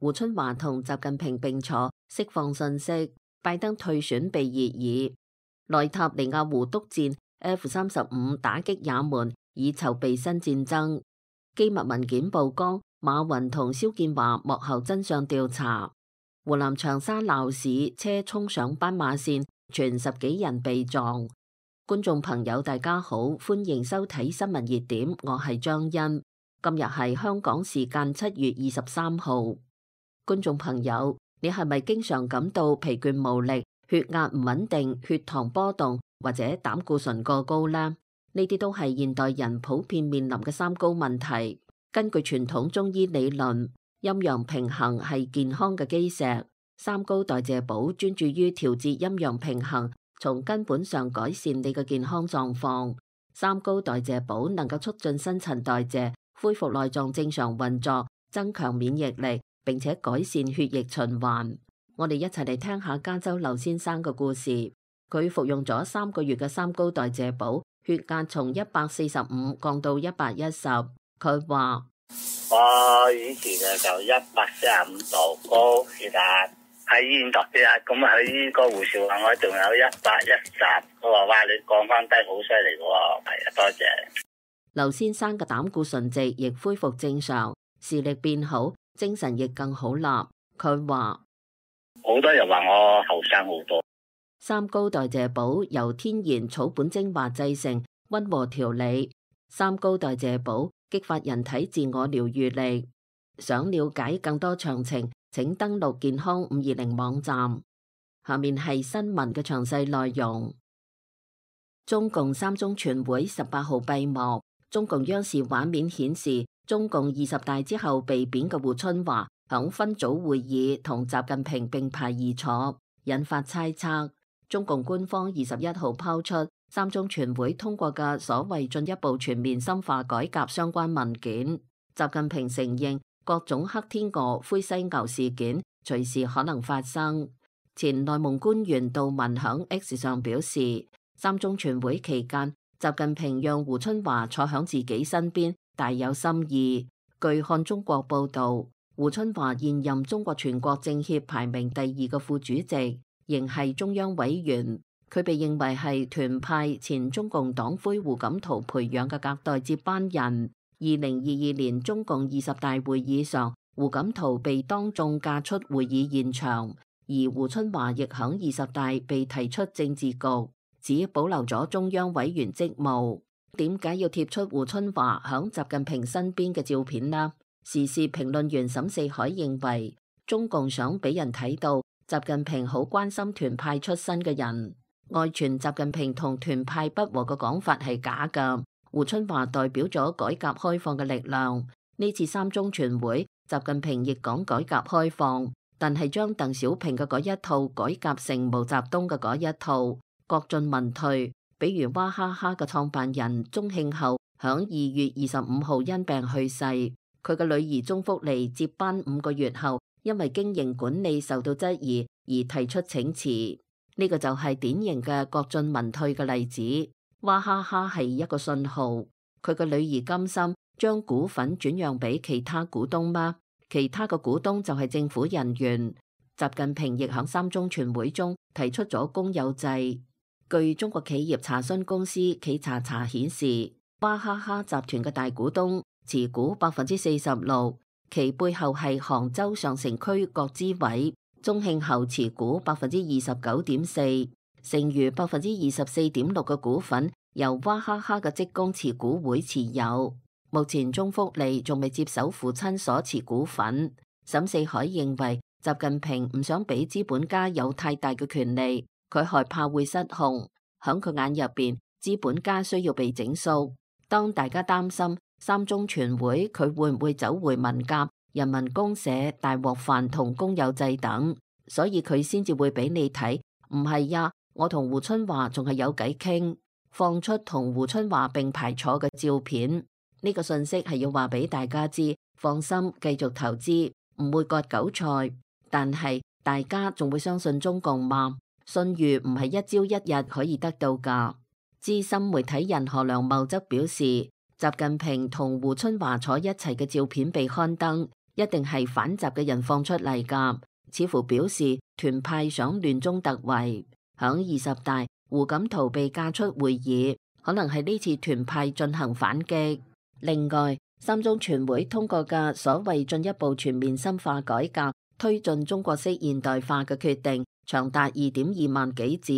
胡春華同習近平並坐，釋放信息。拜登退選被熱議。內塔尼亞胡督戰 F-35打擊也門，以籌備新戰爭。機密文件曝光，馬雲同肖建華幕後真相調查。湖南長沙鬧市，車衝上斑馬線，傳10幾人被撞。觀眾朋友大家好，歡迎收睇新聞熱點，我係張欣。今日係香港時間7月23號。觀眾朋友，你係咪經常感到疲倦無力、血壓唔穩定、血糖波動或者膽固醇過高呢？呢啲都係現代人普遍面臨嘅三高問題。根據傳統中醫理論，陰陽平衡係健康嘅基石。三高代謝寶專注於調節陰陽平衡，從根本上改善你嘅健康狀況。三高代謝寶能夠促進新陳代謝，恢復內臟正常運作，增強免疫力，並且改善血液循環。我哋一齊嚟聽下加州劉先生嘅故事。佢服用咗3個月嘅三高代謝寶，血壓從145降到110。佢話：我以前就145度高血壓，喺醫院度血壓，咁喺個護士話我仲有110，我話哇，你降翻低好犀利喎，係啊，多謝。劉先生嘅膽固醇值亦恢復正常，視力變好，精神亦更好啦。佢話好多人話我後生好多。三高代謝寶由天然草本精華製成，溫和調理。三高代謝寶激發人體自我療愈力。想了解更多詳情，請登錄健康520網站。下面係新聞嘅詳細內容。中共三中全會18號閉幕。中共央視畫面顯示，中共20大之後被貶嘅胡春華響分組會議同習近平並排而坐，引發猜測。中共官方21號拋出三中全會通過嘅所謂進一步全面深化改革相關文件。習近平承認各種黑天鵝、灰犀牛事件隨時可能發生。前內蒙官員杜文響 X 上表示，三中全會期間，習近平讓胡春華坐響自己身邊，大有心意。據看中國報道，胡春華現任中國全國政協排名第2個副主席，仍係中央委員。佢被認為係團派前中共黨魁胡錦濤培養嘅隔代接班人。2022年中共20大會議上，胡錦濤被當眾架出會議現場，而胡春華亦響20大被提出政治局，只保留咗中央委員職務。點解要貼出胡春華響習近平身邊嘅照片呢？時事評論員沈四海認為，中共想俾人睇到習近平好關心團派出身嘅人。外傳習近平同團派不和嘅講法係假㗎。胡春華代表咗改革開放嘅力量。呢次三中全會，習近平亦講改革開放，但係將鄧小平嘅嗰一套改革成毛澤東嘅嗰一套，國進民退。比如娃哈哈嘅創辦人鐘慶後響2月25號因病去世，佢嘅女兒鐘福利接班5個月後，因為經營管理受到質疑而提出請辭。呢個就係典型嘅國進民退嘅例子。娃哈哈係一個信號，佢嘅女兒甘心將股份轉讓俾其他股東嗎？其他嘅股東就係政府人員。習近平亦響三中全會中提出咗公有制。據中國企業查詢公司企查查顯示，娃哈哈集團嘅大股東持股46%，其背後係杭州上城區國資委。鐘慶後持股29.4%，剩餘24.6%嘅股份由娃哈哈嘅職工持股會持有。目前鐘福利仲未接手父親所持股份。沈四海認為，習近平唔想俾資本家有太大嘅權利，佢害怕會失控。響佢眼入邊，資本家需要被整肅。當大家擔心三中全會佢會唔會走回文革、人民公社、大鍋飯同公有制等，所以佢先至會俾你睇，唔係呀，我同胡春華仲係有偈傾，放出同胡春華並排坐嘅照片。呢個信息係要話俾大家知，放心繼續投資，唔會割韭菜。但係大家仲會相信中共嗎？信譽唔係一朝一日可以得到㗎。資深媒體人何良茂則表示，習近平同胡春華坐一齊嘅照片被刊登，一定係反習嘅人放出嚟㗎，似乎表示團派想亂中突圍。響20大，胡錦濤被架出會議，可能係呢次團派進行反擊。另外，三中全會通過嘅所謂進一步全面深化改革，推進中國式現代化嘅決定，長達2.2萬幾字，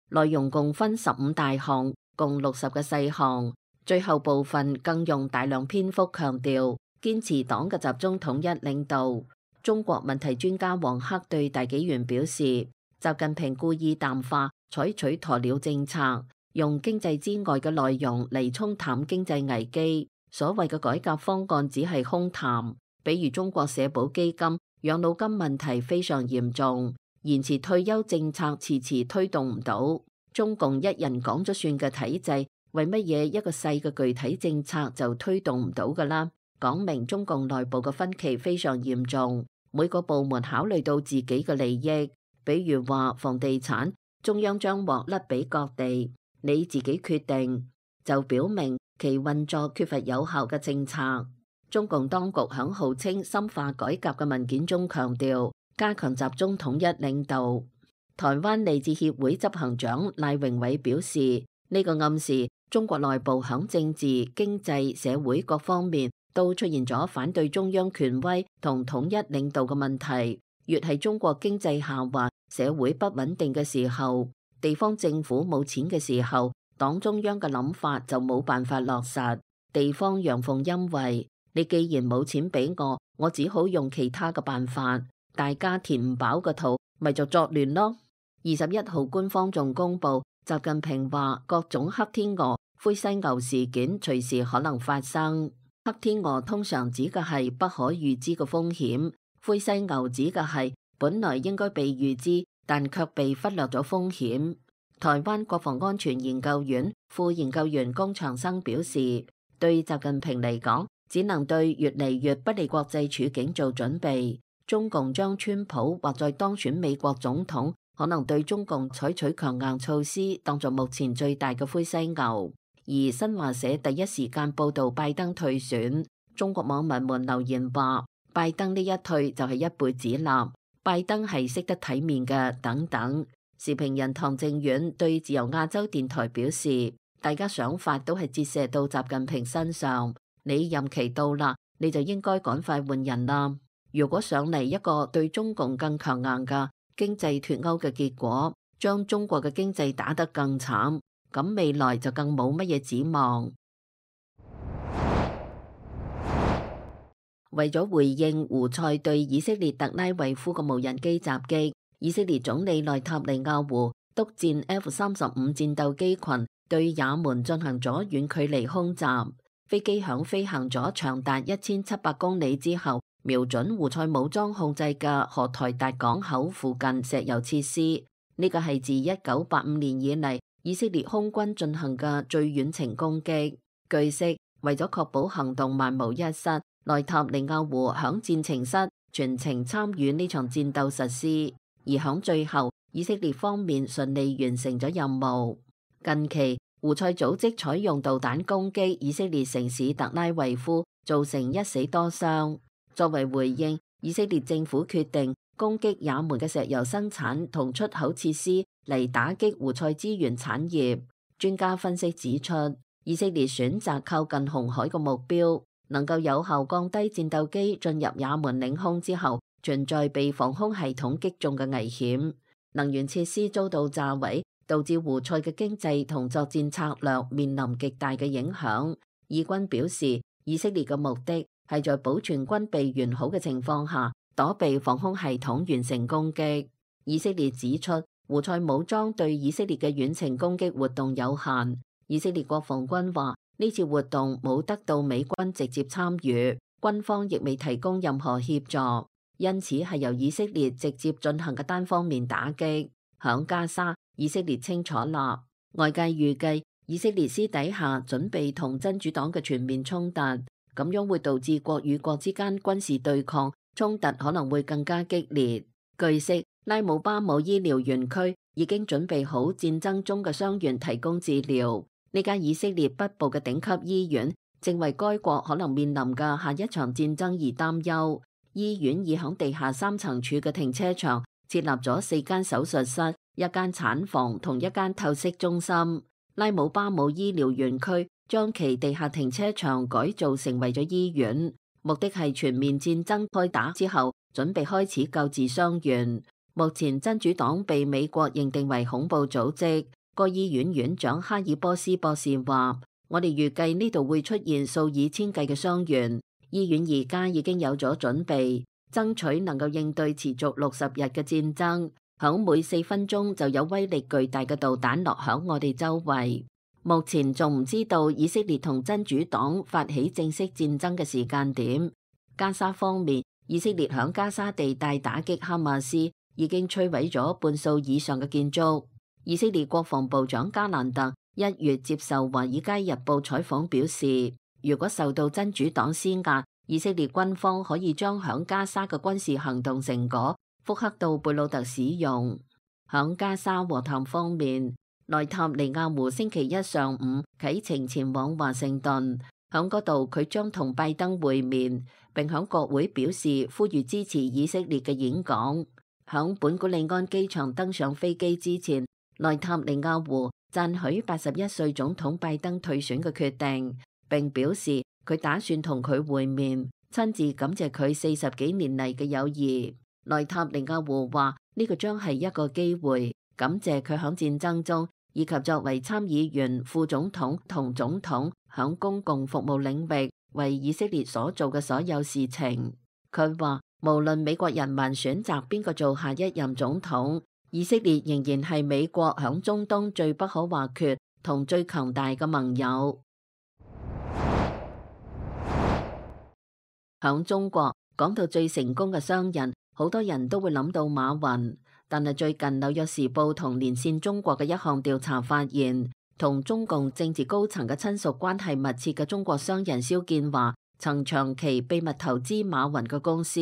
內容共分15大項，共60個細項。最後部分更用大量篇幅強調堅持黨嘅集中統一領導。中國問題專家王克對大紀元表示，習近平故意淡化，採取鴕鳥政策，用經濟之外嘅內容嚟沖淡經濟危機。所謂嘅改革方案只係空談，比如中國社保基金、養老金問題非常嚴重，延遲退休政策遲遲推動唔到。中共一人講咗算嘅體制，為乜嘢一個細嘅具體政策就推動唔到㗎啦？講明中共內部嘅分歧非常嚴重，每個部門考慮到自己嘅利益，比如話房地產，中央將獲甩俾各地，你自己決定，就表明其運作缺乏有效嘅政策。中共當局響號稱深化改革嘅文件中強調，加強集中統一領導。台灣利智協會執行長賴榮偉表示，呢個暗示中國內部響政治、經濟、社會各方面都出現咗反對中央權威同統一領導嘅問題。越係中國經濟下滑、社會不穩定嘅時候，地方政府冇錢嘅時候，黨中央嘅諗法就冇辦法落實。地方陽奉陰違，你既然冇錢俾我只好用其他嘅辦法，大家填唔飽個肚，咪就作亂咯。21號官方仲公布，習近平話各種黑天鵝、灰犀牛事件隨時可能發生。黑天鵝通常指嘅係不可預知嘅風險，灰犀牛指嘅係本來應該被預知，但卻被忽略咗風險。台灣國防安全研究院副研究員龔長生表示，對習近平嚟講，只能對越嚟越不利國際處境做準備。中共將川普或在當選美國總統，可能對中共採取強硬措施，當作目前最大嘅灰犀牛。而新華社第一時間報道拜登退選，中國網民們留言話，拜登呢一退就係一輩子啦，拜登係識得體面嘅等等。時評人唐正遠對自由亞洲電台表示，大家想法都係折射到習近平身上，你任期到啦，你就應該趕快換人啦。如果上嚟一個對中共更強硬嘅經濟脫鈎嘅結果，將中國嘅經濟打得更慘，咁未來就更冇乜嘢指望。為咗回應胡塞對以色列特拉維夫嘅無人機襲擊，以色列總理內塔尼亞胡督戰 F-35戰鬥機群對也門進行咗遠距離空襲，飛機響飛行咗長達1700公里之後，瞄準胡塞武裝控制嘅荷台達港口附近石油設施。呢個係自1985年以嚟以色列空軍進行嘅最遠程攻擊。據悉，為咗確保行動萬無一失，內塔尼亞胡響戰情室全程參與呢場戰鬥實施，而響最後，以色列方面順利完成咗任務。近期，胡塞組織採用導彈攻擊以色列城市特拉維夫，造成1死多傷。作為回應，以色列政府決定攻擊也門嘅石油生產同出口設施，嚟打擊胡塞資源產業。專家分析指出，以色列選擇靠近紅海嘅目標，能夠有效降低戰鬥機進入也門領空之後存在被防空系統擊中嘅危險。能源設施遭到炸毀，導致胡塞嘅經濟同作戰策略面臨極大嘅影響。以軍表示，以色列嘅目的係在保存軍備完好嘅情況下，躲避防空系統完成攻擊。以色列指出，胡塞武裝對以色列嘅遠程攻擊活動有限。以色列國防軍話，呢次活動冇得到美軍直接參與，軍方亦未提供任何協助，因此係由以色列直接進行嘅單方面打擊。響加沙，以色列清楚啦。外界預計以色列私底下準備同真主黨嘅全面衝突，咁樣會導致國與國之間軍事對抗，衝突可能會更加激烈。據悉，拉姆巴姆醫療園區已經準備好戰爭中嘅傷員提供治療。呢間以色列北部嘅頂級醫院正為該國可能面臨嘅下一場戰爭而擔憂。醫院已響地下3層處嘅停車場設立咗4間手術室、1間產房同1間透析中心。拉姆巴姆醫療園區將其地下停車場改造成為咗醫院，目的係全面戰爭開打之後，準備開始救治傷員。目前真主黨被美國認定為恐怖組織。該醫院院長哈爾波斯博士話：我哋預計呢度會出現數以千計嘅傷員。醫院而家已經有咗準備，爭取能夠應對持續60日嘅戰爭。響每4分鐘就有威力巨大嘅導彈落響我哋周圍。目前仲唔知道以色列同真主黨發起正式戰爭嘅時間點。加沙方面，以色列響加沙地帶打擊哈馬斯，已經摧毀咗半數以上嘅建築。以色列國防部長加蘭特1月接受《華爾街日報》採訪表示，如果受到真主黨施壓，以色列軍方可以將響加沙嘅軍事行動成果複刻到貝魯特使用。響加沙和談方面，內塔尼亞胡星期一上午啟程前往華盛頓，響嗰度佢將同拜登會面，並響國會表示呼籲支持以色列嘅演講。響本古利安機場登上飛機之前，內塔尼亞胡讚許81歲總統拜登退選嘅決定，並表示佢打算同佢會面，親自感謝佢40幾年嚟嘅友誼。內塔尼亞胡話呢個將係一個機會，感謝佢響戰爭中以及作為參議員、副總統同總統響公共服務領域為以色列所做嘅所有事情。佢話無論美國人民選擇邊個做下一任總統，以色列仍然係美國響中東最不可或缺同最強大嘅盟友。響中國講到最成功嘅商人，好多人都會諗到馬雲。但係最近紐約時報同連線中國嘅一項調查發現，同中共政治高層嘅親屬關係密切嘅中國商人肖建華曾長期秘密投資馬雲嘅公司。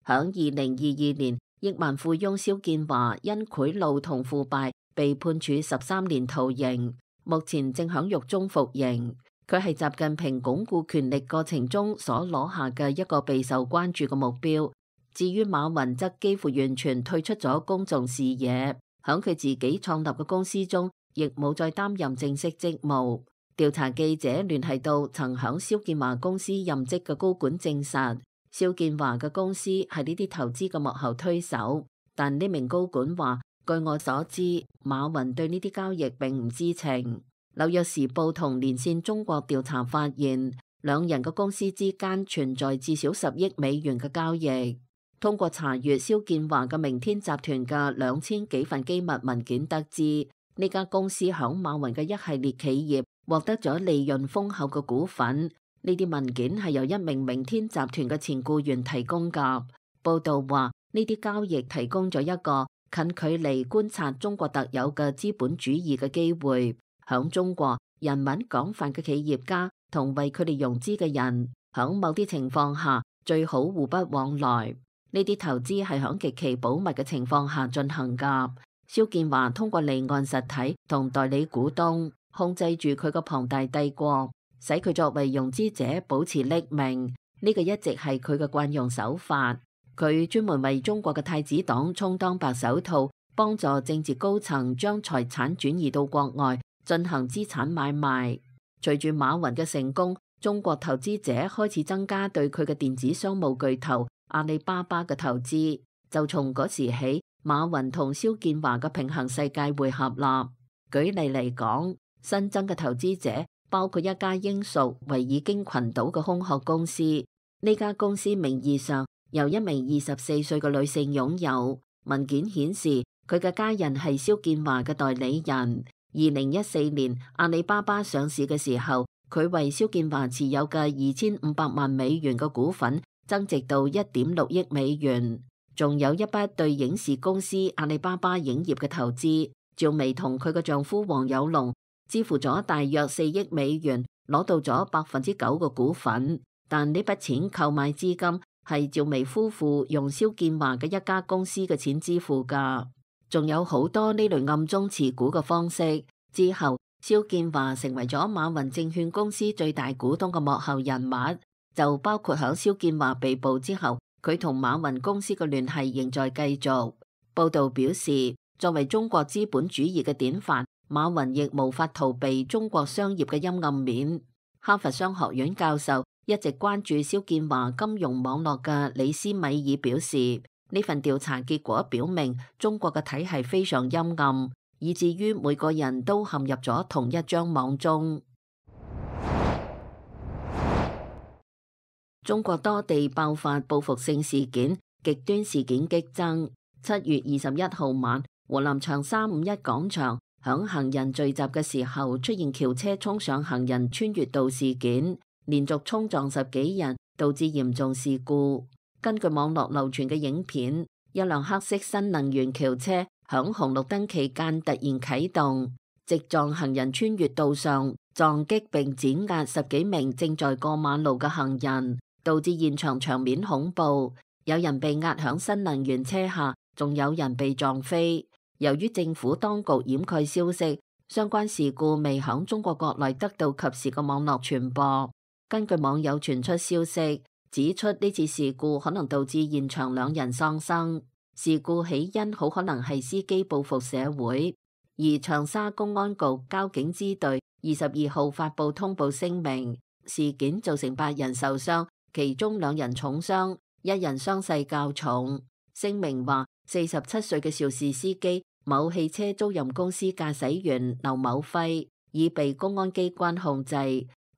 響2022年，億萬富翁肖建華因賄賂同腐敗被判處13年徒刑，目前正響獄中服刑。佢係習近平鞏固權力過程中所攞下嘅一個備受關注嘅目標。至於馬雲則幾乎完全退出咗公眾視野，響佢自己創立嘅公司中，亦冇再擔任正式職務。調查記者聯繫到曾響肖建華公司任職嘅高管證實，肖建華嘅公司係呢啲投資嘅幕後推手。但呢名高管話，據我所知，馬雲對呢啲交易並唔知情。紐約時報同連線中國調查發現，兩人嘅公司之間存在至少10億美元嘅交易。通過查閱肖建華嘅明天集團嘅2000幾份機密文件得知，呢家公司響馬雲嘅一系列企業獲得咗利潤豐厚嘅股份。呢啲文件係由一名明天集團嘅前僱員提供㗎。報道話，呢啲交易提供咗一個近距離觀察中國特有嘅資本主義嘅機會。響中國，人民廣泛嘅企業家同為佢哋融資嘅人，響某啲情況下最好互不往來。呢啲投資係響極其保密嘅情況下進行㗎。肖建華通過離岸實體同代理股東控制住佢個龐大帝國，使佢作為融資者保持匿名。呢個一直係佢嘅慣用手法。佢專門為中國嘅太子黨充當白手套，幫助政治高層將財產轉移到國外進行資產買賣。隨住馬雲嘅成功，中國投資者開始增加對佢嘅電子商務巨頭阿里巴巴嘅投資。就從嗰時起，馬雲同肖建華嘅平行世界會合啦。舉例嚟講，新增嘅投資者包括一家英屬維爾京群島嘅空殼公司。呢家公司名義上由一名24歲嘅女性擁有，文件顯示佢嘅家人係肖建華嘅代理人。2014年阿里巴巴上市嘅時候，佢為肖建華持有嘅2500萬美元嘅股份增值到1.6億美元，仲有一筆對影視公司阿里巴巴影業嘅投資。趙薇同佢嘅丈夫黃有龍支付咗大約4億美元，攞到咗9%嘅股份。但呢筆錢購買資金係趙薇夫婦用肖建華嘅一家公司嘅錢支付㗎。仲有好多呢類暗中持股嘅方式。之後，肖建華成為咗馬雲證券公司最大股東嘅幕後人物。就包括響肖建華被捕之後，佢同馬雲公司嘅聯繫仍在繼續。報道表示，作為中國資本主義嘅典範，馬雲亦無法逃避中國商業嘅陰暗面。哈佛商學院教授一直關注肖建華金融網絡嘅李斯米爾表示，呢份調查結果表明中國嘅體系非常陰暗，以至於每個人都陷入咗同一張網中。中國多地爆發報復性事件，極端事件激增。7月21號晚，湖南長沙5·1廣場響行人聚集嘅時候出現轎車衝上行人穿越道事件，連續衝撞10幾人，導致嚴重事故。根據網絡流傳嘅影片，一輛黑色新能源轎車響紅綠燈期間突然啟動，直撞行人穿越道上，撞擊並碾壓10幾名正在過馬路嘅行人，導致現場面恐怖，有人被壓響新能源車下，仲有人被撞飛。由於政府當局掩蓋消息，相關事故未響中國國內得到及時嘅網絡傳播。根據網友傳出消息，指出呢次事故可能導致現場2人喪生。事故起因好可能係司機報復社會。而長沙公安局交警支隊22號發布通報聲明，事件造成8人受傷，其中2人重傷，1人傷勢較重。聲明話，47歲嘅肇事司機某汽車租賃公司駕駛員劉某輝已被公安機關控制。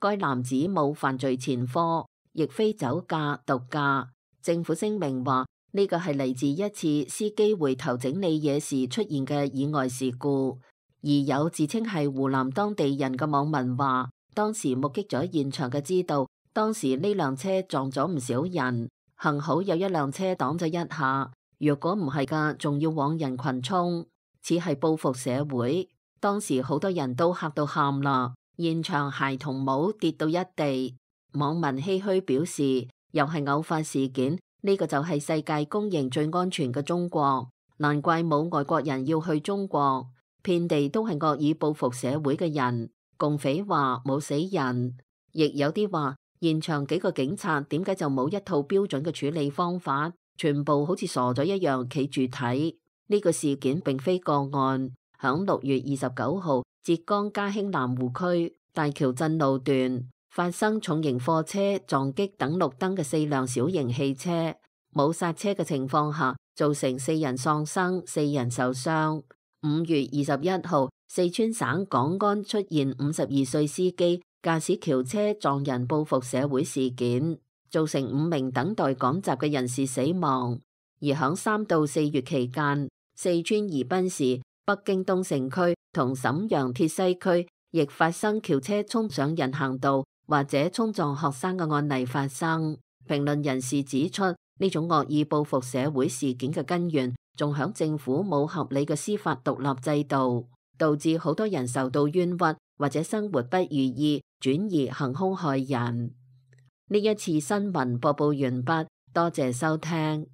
該男子冇犯罪前科，亦非酒駕、毒駕。政府聲明話，呢個係嚟自一次司機回頭整理嘢時出現嘅意外事故。而有自稱係湖南當地人嘅網民話，當時目擊咗現場嘅知道，當時呢輛車撞咗唔少人，幸好有一輛車擋咗一下，若果唔係㗎，仲要往人群衝，似係報復社會。當時好多人都嚇到喊啦，現場鞋同帽跌到一地。網民唏噓表示，又係偶發事件，呢個就係世界公認最安全嘅中國，難怪冇外國人要去中國，遍地都係惡意報復社會嘅人。共匪話冇死人，亦有啲話現場幾個警察點解就冇一套標準嘅處理方法，全部好似傻咗一樣企住睇。呢個事件並非個案，響6月29號，浙江嘉興南湖區大橋鎮路段發生重型貨車撞擊等綠燈嘅4輛小型汽車，冇剎車嘅情況下，造成4人喪生，4人受傷。5月21號，四川省廣安出現52歲司機駕駛轎車撞人報復社會事件，造成5名等待趕集嘅人士死亡。而響3到4月期間，四川宜賓市、北京東城區同瀋陽鐵西區亦發生轎車衝上人行道或者衝撞學生嘅案例發生。評論人士指出，呢種惡意報復社會事件嘅根源仲響政府冇合理嘅司法獨立制度，導致好多人受到冤屈或者生活不如意，轉而行兇害人。呢一次新聞播報完畢，多謝收聽。